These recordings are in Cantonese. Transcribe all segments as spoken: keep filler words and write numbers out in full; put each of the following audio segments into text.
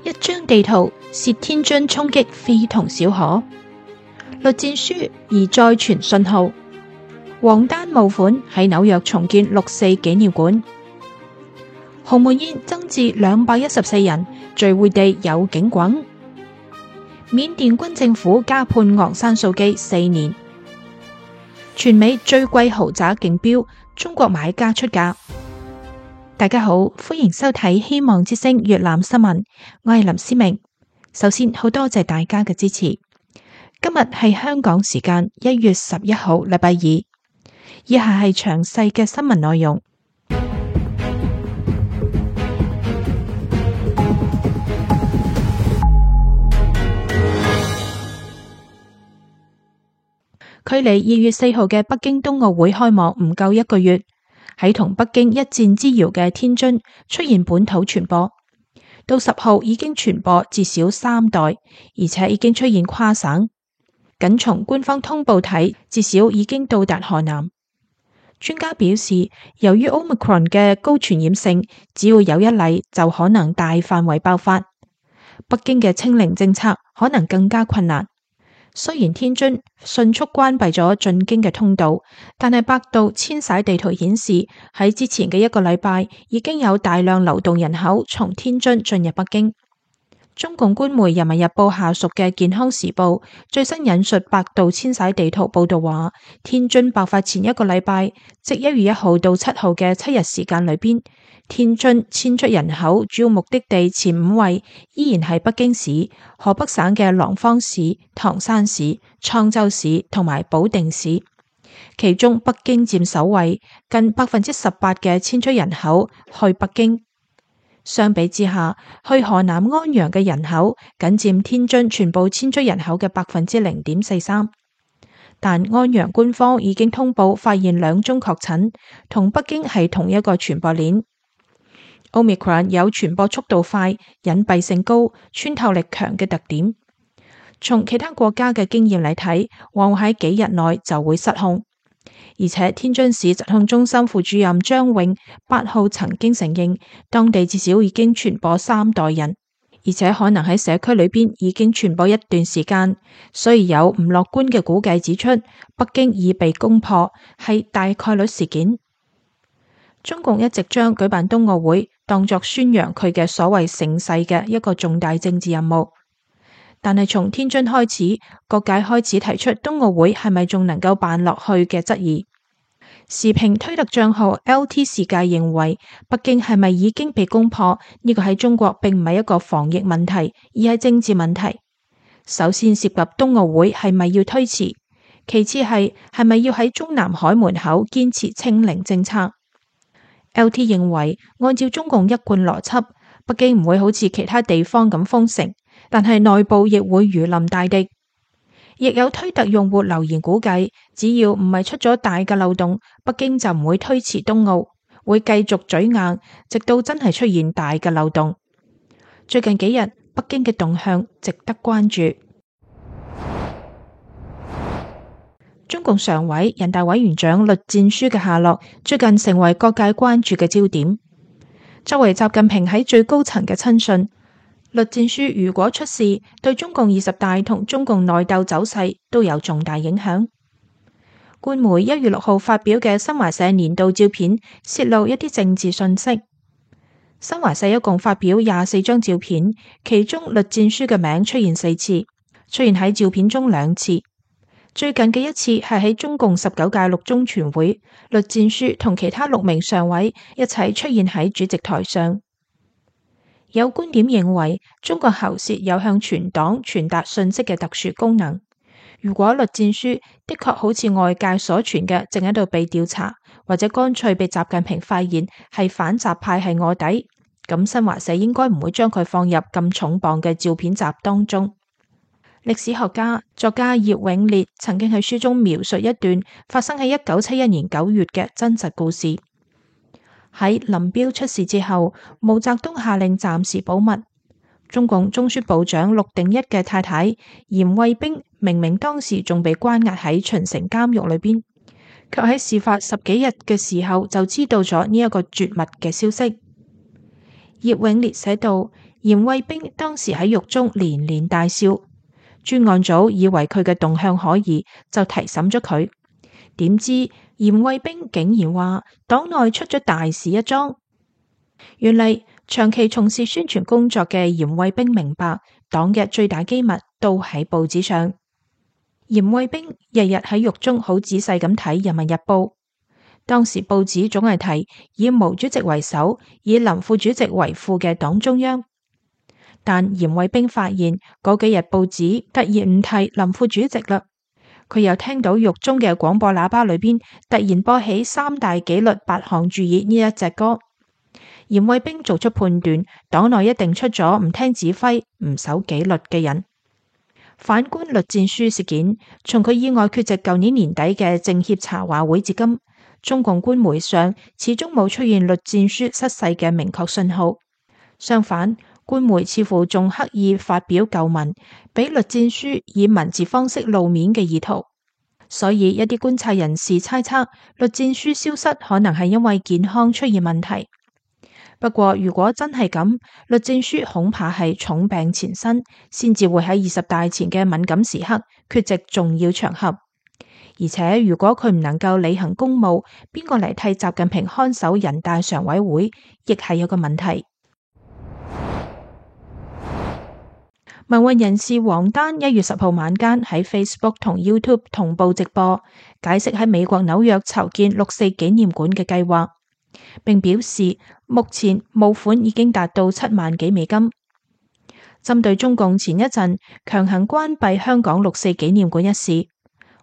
一張地圖涉天津衝擊非同小可，栗戰書而再傳信號，王丹募款喺紐約重建六四紀念館，鴻門宴增至兩百一十四人，聚會地有警棍，緬甸軍政府加判昂山素姬四年，全美最貴豪宅競標，中國買家出價。大家好，歡迎收睇希望之聲粵覽新聞，我係林思明。首先好多謝大家嘅支持。今日係香港時間一月十一號禮拜二，以下係詳細嘅新聞內容。距離二月四號嘅北京冬奧會開幕唔夠一個月，喺同北京一箭之遙嘅天津出現本土傳播，到十號已經傳播至少三代，而且已經出現跨省。僅從官方通報睇，至少已經到達河南。專家表示，由於 Omicron 嘅高傳染性，只要有一例就可能大範圍爆發。北京嘅清零政策可能更加困難。雖然天津迅速關閉咗進京嘅通道，但係百度遷徙地圖顯示，喺之前嘅一個禮拜已經有大量流動人口從天津進入北京。中共官媒《人民日報》下屬嘅《健康時報》最新引述百度遷徙地圖報道話，天津爆發前一個禮拜，即一月一號到七號嘅七日時間裏邊，天津遷出人口主要目的地前五位依然係北京市、河北省嘅廊坊市、唐山市、滄州市同埋保定市，其中北京佔首位，近百分之十八嘅遷出人口去北京。相比之下，去河南安陽嘅人口僅佔天津全部遷出人口嘅百分之零點四三。但安陽官方已經通報發現兩宗確診，同北京係同一個傳播鏈。Omicron 有傳播速度快、隱蔽性高、穿透力強嘅特點。從其他國家嘅經驗嚟睇，往往喺幾日內就會失控。而且天津市疾控中心副主任張永八號曾經承認，當地至少已經傳播三代人，而且可能喺社區裏邊已經傳播一段時間。所以有唔樂觀嘅估計指出，北京已被攻破，係大概率事件。中共一直將舉辦冬奧會當作宣揚佢嘅所謂盛世嘅一個重大政治任務。但係從天津開始，各界開始提出冬奧會係咪仲能夠辦落去嘅質疑。時評推特賬號 L T 世界認為，北京係咪已經被攻破？呢個喺中國並唔係一個防疫問題，而係政治問題。首先涉及冬奧會係咪要推遲，其次係係咪要喺中南海門口堅持清零政策。L T 認為，按照中共一貫邏輯，北京唔會好似其他地方咁封城，但係內部亦會如臨大敵。亦有推特用戶留言估計，只要唔係出咗大嘅漏洞，北京就唔會推遲冬奧，會繼續嘴硬，直到真係出現大嘅漏洞。最近幾日，北京嘅動向值得關注。中共常委、人大委員長栗戰書嘅下落，最近成為各界關注嘅焦點。作為習近平喺最高層嘅親信，栗戰書如果出事，對中共二十大同中共內鬥走勢都有重大影響。官媒一月六號發表嘅新華社年度照片泄露一啲政治信息。新華社一共發表廿四張照片，其中栗戰書嘅名出現四次，出現喺照片中兩次。最近嘅一次係喺中共十九屆六中全會，栗戰書同其他六名常委一齊出現喺主席台上。有觀點認為，中國喉舌有向全黨傳達信息嘅特殊功能。如果栗戰書的確好似外界所傳嘅，正喺度被調查，或者乾脆被習近平發現係反習派係臥底，咁新華社應該唔會將佢放入咁重磅嘅照片集當中。歷史學家、作家葉永烈曾經喺書中描述一段發生喺一九七一年九月嘅真實故事。喺林彪出事之後，毛澤東下令暫時保密。中共中宣部長陸定一嘅太太嚴衛兵明明當時仲被關押喺秦城監獄裏邊，卻喺事發十幾日嘅時候就知道咗呢一個絕密嘅消息。葉永烈寫道：嚴嚴惠冰當時喺獄中連連大笑，專案組以為佢嘅動向可疑，就提審咗佢。點知嚴惠冰竟然話黨內出咗大事一樁。原嚟長期從事宣傳工作嘅嚴惠冰明白，黨嘅最大機密都喺報紙上。嚴惠冰日日喺獄中好仔細咁睇《人民日報》，當時報紙總係提以毛主席為首、以林副主席為副嘅黨中央。但嚴惠冰發現嗰幾日報紙突然唔提林副主席啦，佢又聽到獄中嘅廣播喇叭裏邊突然播起三大紀律八項注意呢一隻歌。嚴惠冰做出判斷，黨內一定出咗唔聽指揮、唔守紀律嘅人。反觀栗戰書事件，從佢意外缺席舊年年底嘅政協茶話會至今，中共官媒上始終冇出現栗戰書失勢嘅明確信號。相反，官媒似乎仲刻意發表舊文，俾栗戰書以文字方式露面嘅意圖。所以一啲觀察人士猜測，栗戰書消失可能係因為健康出現問題。不過如果真係咁，栗戰書恐怕係重病纏身，先至會喺二十大前嘅敏感時刻缺席重要場合。而且如果佢唔能夠履行公務，邊個嚟替習近平看守人大常委會，亦係有個問題。民運人士王丹一月十號晚間喺 Facebook 同 YouTube 同步直播，解釋喺美國紐約籌建六四紀念館嘅計劃，並表示目前募款已經達到七萬幾美金。針對中共前一陣強行關閉香港六四紀念館一事，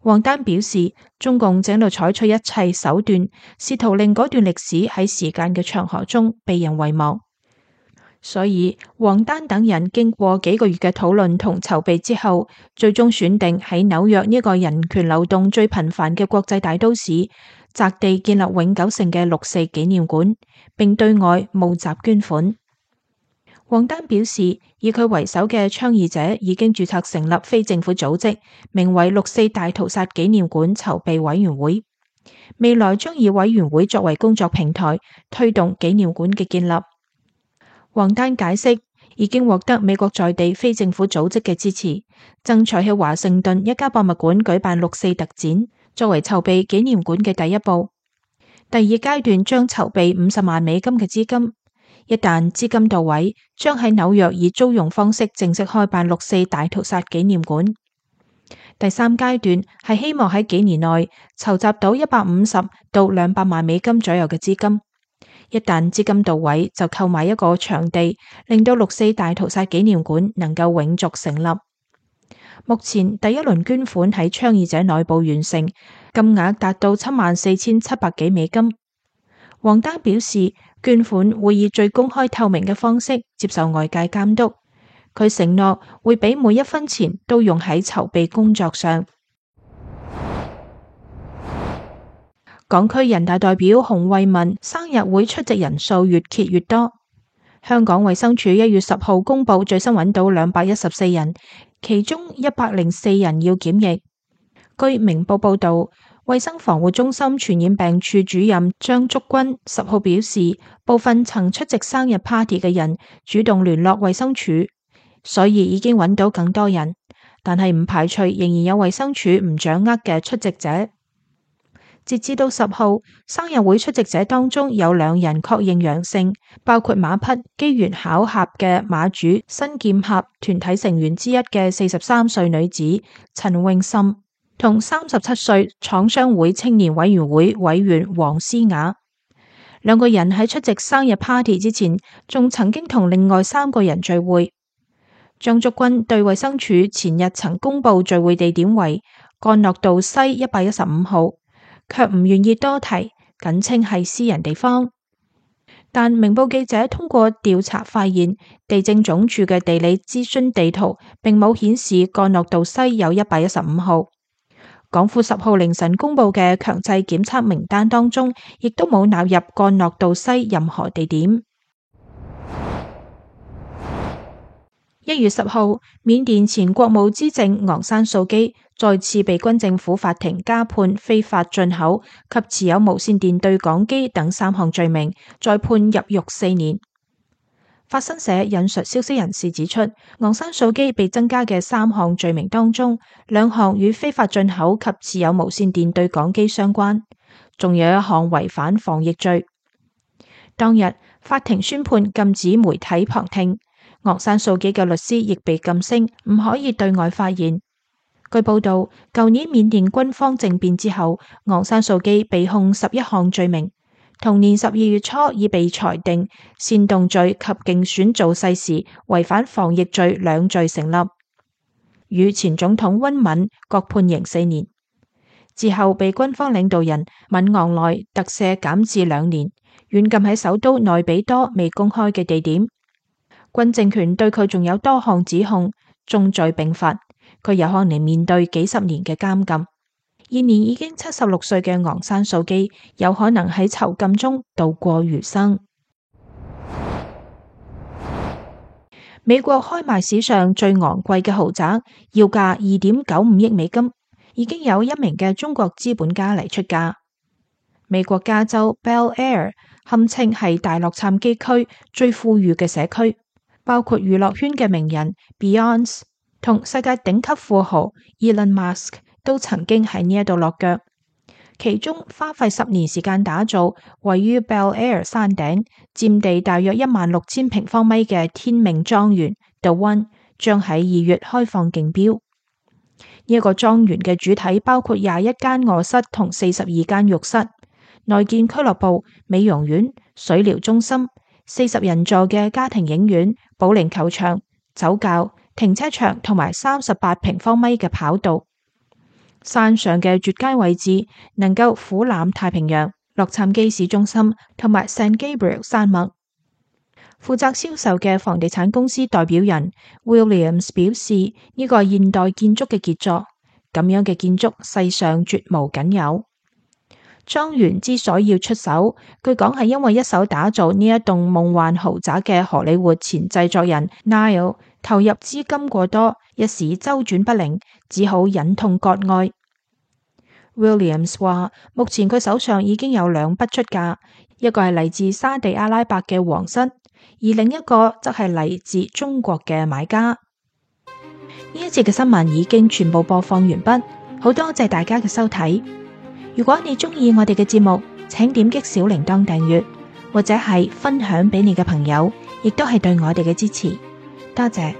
王丹表示中共正喺度採取一切手段，試圖令嗰段歷史喺時間嘅長河中被人遺忘。所以王丹等人經過幾個月嘅討論同籌備之後，最終選定喺紐約呢個人權流動最頻繁嘅國際大都市，擇地建立永久性嘅六四紀念館，並對外募集捐款。王丹表示，以佢為首嘅倡議者已經註冊成立非政府組織，名為六四大屠殺紀念館籌備委員會，未來將以委員會作為工作平台，推動紀念館嘅建立。王丹解釋，已經獲得美國在地非政府組織嘅支持，爭取喺華盛頓一家博物館舉辦六四特展，作為籌備紀念館嘅第一步。第二階段將籌備五十萬美金嘅資金，一旦資金到位，將喺紐約以租用方式正式開辦六四大屠殺紀念館。第三階段係希望喺幾年內籌集到一百五十到兩百萬美金左右嘅資金。一旦資金到位，就購買一個場地，令到六四大屠殺紀念館能夠永續成立。目前第一輪捐款喺倡議者內部完成，金額達到七萬四千七百幾美金。王丹表示，捐款會以最公開透明嘅方式接受外界監督。佢承諾會俾每一分錢都用喺籌備工作上。港區人大代表洪為民生日會出席人數越揭越多。香港衛生署一月十號公布最新揾到兩百一十四人，其中一百零四人要檢疫。據明報報道，衛生防護中心傳染病處主任張竹君十號表示，部分曾出席生日 party 嘅人主動聯絡衛生署，所以已經揾到更多人，但係唔排除仍然有衛生署唔掌握嘅出席者。截至到十號，生日會出席者當中有兩人確認陽性，包括馬匹機緣巧合嘅馬主新劍俠團體成員之一嘅四十三歲女子陳詠琛，同三十七歲廠商會青年委員會委員黃思雅。兩個人喺出席生日 party 之前，仲曾經同另外三個人聚會。張竹君對衛生署前日曾公布聚會地點為干諾道西一百一十五號，卻唔願意多提，僅稱係私人地方。但明報記者通過調查發現，地政總署嘅地理諮詢地圖並冇顯示干諾道西有一百一十五號。港府十號凌晨公布嘅強制檢測名單當中，亦都冇納入干諾道西任何地點。一月十號，緬甸前國務資政昂山素基再次被軍政府法庭加判非法進口及持有無線電對講機等三項罪名，再判入獄四年。法新社引述消息人士指出，昂山素姬被增加嘅三項罪名當中，兩項與非法進口及持有無線電對講機相關，仲有一項違反防疫罪。當日法庭宣判禁止媒體旁聽，昂山素姬嘅律師亦被禁聲，唔可以對外發言。據報道，舊年緬甸軍方政變之後，昂山素姬被控十一項罪名。同年十二月初已被裁定煽動罪及競選造勢時違反防疫罪兩罪成立，與前總統溫敏各判刑四年。之後被軍方領導人敏昂萊特赦減至兩年，軟禁喺首都內比多未公開嘅地點。軍政權對佢仲有多項指控，眾罪並罰，佢有可能面對幾十年嘅監禁。現年已經七十六歲嘅昂山素姬有可能喺囚禁中度過餘生。美國開賣史上最昂貴嘅豪宅，要價二點九五億美金，已經有一名嘅中國資本家嚟出價。美國加州 Bel Air 堪稱係大洛杉磯區最富裕嘅社區，包括娛樂圈嘅名人 Beyonce 同世界頂級富豪 Elon Musk都曾經喺呢一度落腳，其中花費十年時間打造，位於 Bel Air 山頂，佔地大約一萬六千平方米嘅天命莊園 The One 將喺二月開放競標。呢一個莊園嘅主體包括廿一間臥室同四十二間浴室，內建俱樂部、美容院、水療中心、四十人座嘅家庭影院、保齡球場、酒窖、停車場同埋三十八平方米嘅跑道。山上嘅絕佳位置能夠俯瞰太平洋、洛杉磯市中心同埋 San Gabriel 山脈。負責銷售嘅房地產公司代表人 Williams 表示，呢個係現代建築嘅傑作，咁樣嘅建築世上絕無僅有。莊園之所以要出手，據講係因為一手打造呢一棟夢幻豪宅嘅荷里活前製作人 Niall 投入資金過多，一時周轉不靈，只好忍痛割愛。Williams 話，目前佢手上已經有兩筆出價，一個係嚟自沙地阿拉伯嘅皇室，而另一個則係嚟自中國嘅買家。呢一節嘅新聞已經全部播放完畢，好多謝大家嘅收睇。如果你中意我哋嘅節目，請點擊小鈴鐺訂閱，或者係分享俾你嘅朋友，亦都係對我哋嘅支持。多謝。